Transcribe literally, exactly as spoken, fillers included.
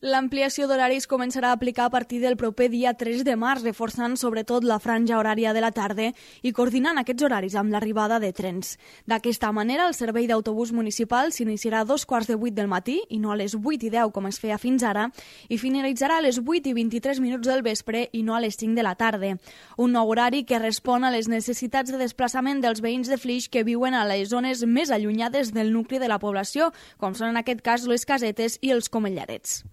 L'ampliació d'horaris començarà a aplicar a partir del proper dia tres de març, reforçant sobretot la franja horària de la tarda i coordinant aquests horaris amb l'arribada de trens. D'aquesta manera, el servei d'autobús municipal s'iniciarà a dos quarts de vuit del matí i no a les vuit i deu com es feia fins ara i finalitzarà a les vuit i vint-i-tres minuts del vespre i no a les cinc de la tarda. Un nou horari que respon a les necessitats de desplaçament dels veïns de Flix que viuen a les zones més allunyades del nucli de la població, com són en aquest cas les Casetes i els Comellarets.